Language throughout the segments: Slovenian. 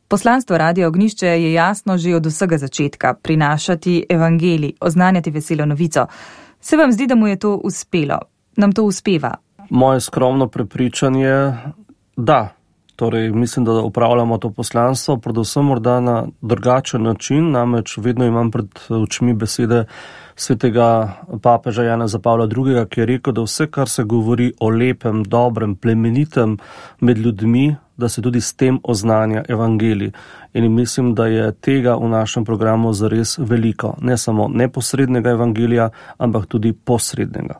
Poslanstvo Radia Ognjišče je jasno že od vsega začetka: prinašati evangelij, oznanjati veselo novico. Se vam zdi, da mu je to uspelo? Nam to uspeva? Moje skromno prepričanje, da. Torej, mislim, da upravljamo to poslanstvo, predvsem morda na drugačen način, namreč vedno imam pred očmi besede svetega papeža Janeza Pavla II., ki je rekel, da vse, kar se govori o lepem, dobrem, plemenitem med ljudmi, da se tudi s tem oznanja evangelij. In mislim, da je tega v našem programu zares veliko. Ne samo neposrednega evangelija, ampak tudi posrednega.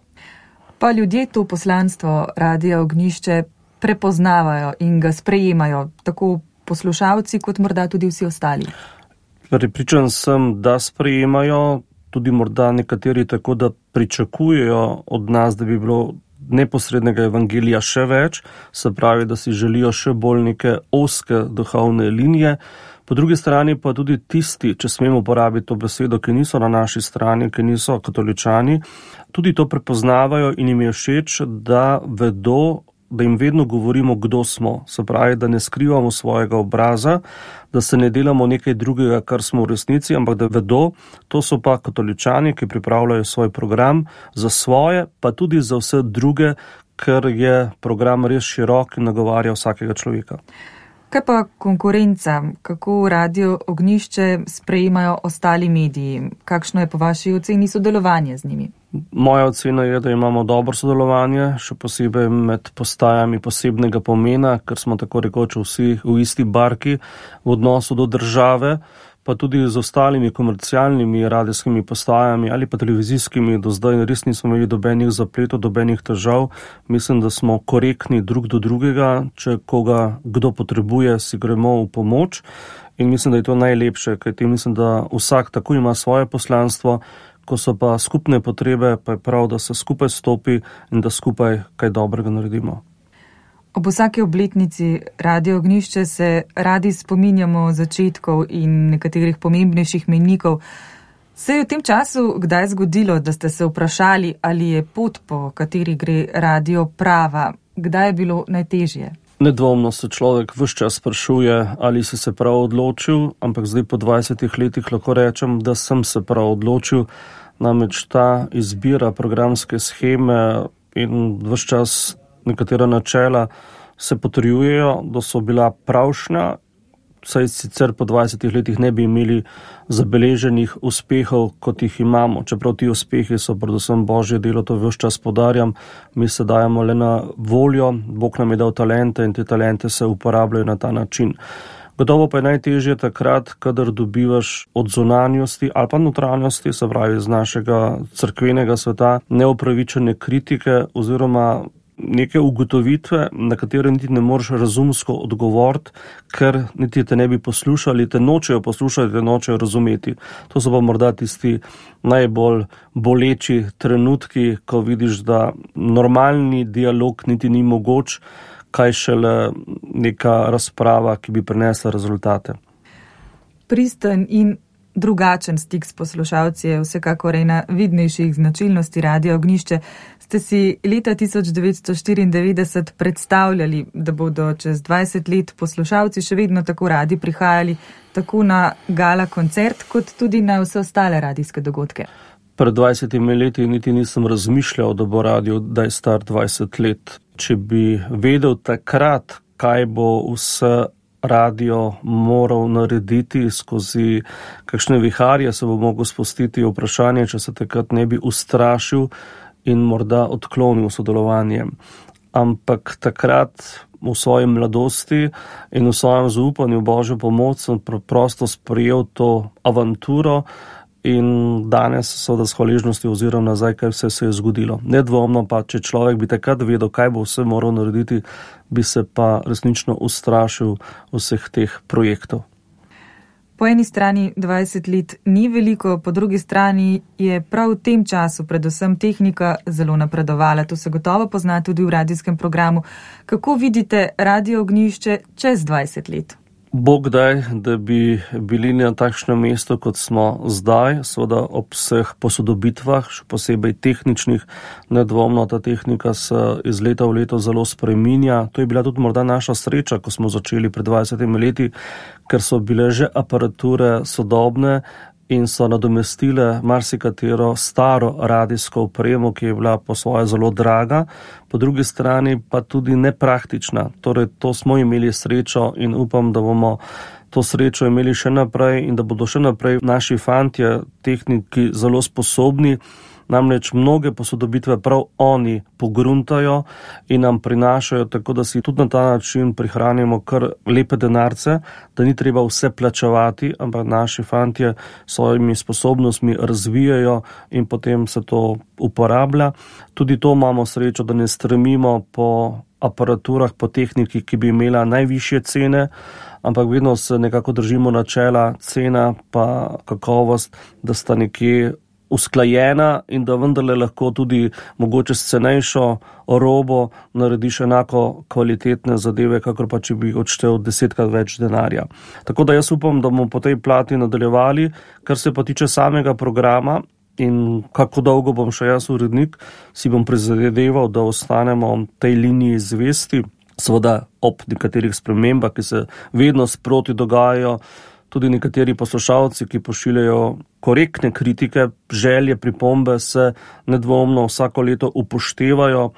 Pa ljudje to poslanstvo Radia Ognjišče prepoznavajo in ga sprejemajo, tako poslušalci kot morda tudi vsi ostali. Prepričan sem, da sprejemajo, tudi morda nekateri tako, da pričakujejo od nas, da bi bilo neposrednega evangelija še več, se pravi, da si želijo še bolj neke ozke duhovne linije. Po drugi strani pa tudi tisti, če smemo uporabiti to besedo, ki niso na naši strani, ki niso katoličani, tudi to prepoznavajo in jim je všeč, da vedo, da jim vedno govorimo, kdo smo. Se pravi, da ne skrivamo svojega obraza, da se ne delamo nekaj drugega, kar smo v resnici, ampak da vedo, to so pa katoličani, ki pripravljajo svoj program za svoje, pa tudi za vse druge, ker je program res širok in nagovarja vsakega človeka. Kaj pa konkurenca? Kako Radio Ognjišče sprejemajo ostali mediji? Kakšno je po vaši oceni sodelovanje z njimi? Moja ocena je, da imamo dobro sodelovanje, še posebej med postajami posebnega pomena, ker smo tako rekoč vsi v isti barki v odnosu do države, pa tudi z ostalimi komercialnimi radijskimi postajami ali pa televizijskimi. Do zdaj res nismo imeli dobenih zapletov, dobenih težav. Mislim, da smo korektni drug do drugega, če koga kdo potrebuje, si gremo v pomoč. In mislim, da je to najlepše, kajti mislim, da vsak tako ima svoje poslanstvo, ko so pa skupne potrebe, pa je prav, da se skupaj stopi in da skupaj kaj dobrega naredimo. Ob vsaki obletnici Radio Ognjišče se radi spominjamo začetkov in nekaterih pomembnejših mejnikov. Se je v tem času kdaj zgodilo, da ste se vprašali, ali je pot, po kateri gre radio, prava? Kdaj je bilo najtežje? Nedvomno se človek ves čas sprašuje, ali si se prav odločil, ampak zdaj po 20 letih lahko rečem, da sem se prav odločil. Namreč ta izbira programske sheme in ves čas nekatera načela se potrjujejo, da so bila pravšnja, saj sicer po 20 letih ne bi imeli zabeleženih uspehov, kot jih imamo. Čeprav ti uspehi so predvsem Božje delo, to ves čas podarjam, mi se dajemo le na voljo, Bog nam je dal talente in te talente se uporabljajo na ta način. Gotovo pa je najtežje takrat, kadar dobivaš od zunanjosti ali pa notranjosti, se pravi iz našega cerkvenega sveta, neupravičene kritike oziroma neke ugotovitve, na katere niti ne moreš razumsko odgovoriti, ker niti te ne bi poslušali, te nočejo poslušati, te nočejo razumeti. To so pa morda tisti najbolj boleči trenutki, ko vidiš, da normalni dialog niti ni mogoč, kaj šele neka razprava, ki bi prinesla rezultate. Pristen in drugačen stik s poslušalci je vsekakor ena vidnejših značilnosti Radia Ognjišče. Ste si leta 1994 predstavljali, da bodo čez 20 let poslušalci še vedno tako radi prihajali tako na gala koncert, kot tudi na vse ostale radijske dogodke? Pred 20 leti niti nisem razmišljal, da bo radio, da je star 20 let. Če bi vedel takrat, kaj bo vse radio moral narediti skozi kakšne viharje, se bo mogel spustiti vprašanje, če se takrat ne bi ustrašil in morda odklonil sodelovanje. Ampak takrat v svoji mladosti in v svojem zaupanju v Božjo pomoč sem preprosto sprejel to avanturo in danes seveda s hvaležnostjo oziram nazaj, kaj vse se je zgodilo. Nedvomno pa, če človek bi takrat vedel, kaj bo vse moral narediti, bi se pa resnično ustrašil vseh teh projektov. Po eni strani 20 let ni veliko, po drugi strani je prav v tem času predvsem tehnika zelo napredovala. To se gotovo pozna tudi v radijskem programu. Kako vidite Radio Ognjišče čez 20 let? Bog daj, da bi bili na takšnem mestu, kot smo zdaj, seveda ob vseh posodobitvah, še posebej tehničnih. Nedvomno ta tehnika se iz leta v leto zelo spreminja. To je bila tudi morda naša sreča, ko smo začeli pred 20 leti, ker so bile že aparature sodobne in so nadomestile marsikatero staro radijsko opremo, ki je bila po svoje zelo draga, po drugi strani pa tudi nepraktična. Torej, to smo imeli srečo in upam, da bomo to srečo imeli še naprej in da bodo še naprej naši fantje, tehniki, zelo sposobni. Namreč mnoge posodobitve prav oni pogruntajo in nam prinašajo, tako da si tudi na ta način prihranimo kar lepe denarce, da ni treba vse plačevati, ampak naši fantje svojimi sposobnostmi razvijajo in potem se to uporablja. Tudi to imamo srečo, da ne stremimo po aparaturah, po tehniki, ki bi imela najvišje cene, ampak vedno se nekako držimo načela cena pa kakovost, da sta nekje usklajena in da vendarle lahko tudi mogoče s cenejšo robo narediš enako kvalitetne zadeve, kakor pa če bi odštel 10krat več denarja. Tako da jaz upam, da bomo po tej plati nadaljevali, kar se pa tiče samega programa in kako dolgo bom še jaz urednik, si bom prizadeval, da ostanemo tej liniji zvesti, seveda ob nekaterih spremembah, ki se vedno sproti dogajajo. Tudi nekateri poslušalci, ki pošiljajo korektne kritike, želje, pripombe, se nedvomno vsako leto upoštevajo.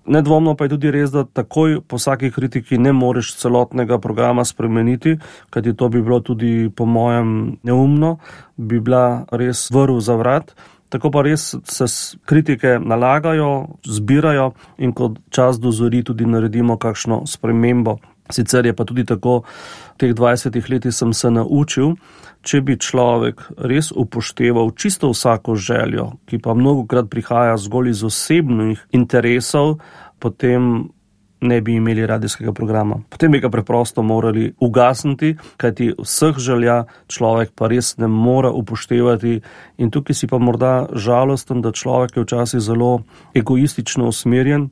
Nedvomno pa je tudi res, da takoj po vsaki kritiki ne moreš celotnega programa spremeniti, kajti to bi bilo tudi po mojem neumno, bi bila res vrv za vrat. Tako pa res se kritike nalagajo, zbirajo in ko čas dozori, tudi naredimo kakšno spremembo. Sicer je pa tudi tako, v teh 20 letih sem se naučil, če bi človek res upošteval čisto vsako željo, ki pa mnogokrat prihaja zgolj iz osebnih interesov, potem ne bi imeli radijskega programa. Potem bi ga preprosto morali ugasniti, kajti vseh želja človek pa res ne mora upoštevati in tukaj si pa morda žalosten, da človek je včasih zelo egoistično usmerjen,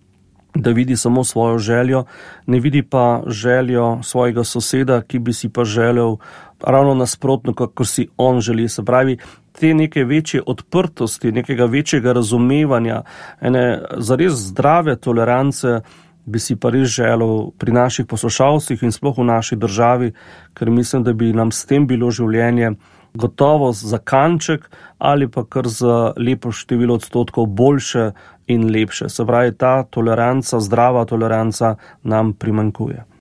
da vidi samo svojo željo, ne vidi pa željo svojega soseda, ki bi si pa želel ravno nasprotno, kako si on želi. Se pravi, te neke večje odprtosti, nekega večjega razumevanja, ene zares zdrave tolerance bi si pa res želel pri naših poslušalcih in sploh v naši državi, ker mislim, da bi nam s tem bilo življenje gotovo za kanček ali pa kar za lepo število odstotkov boljše in lepše. Se pravi, ta toleranca, zdrava toleranca nam primanjkuje.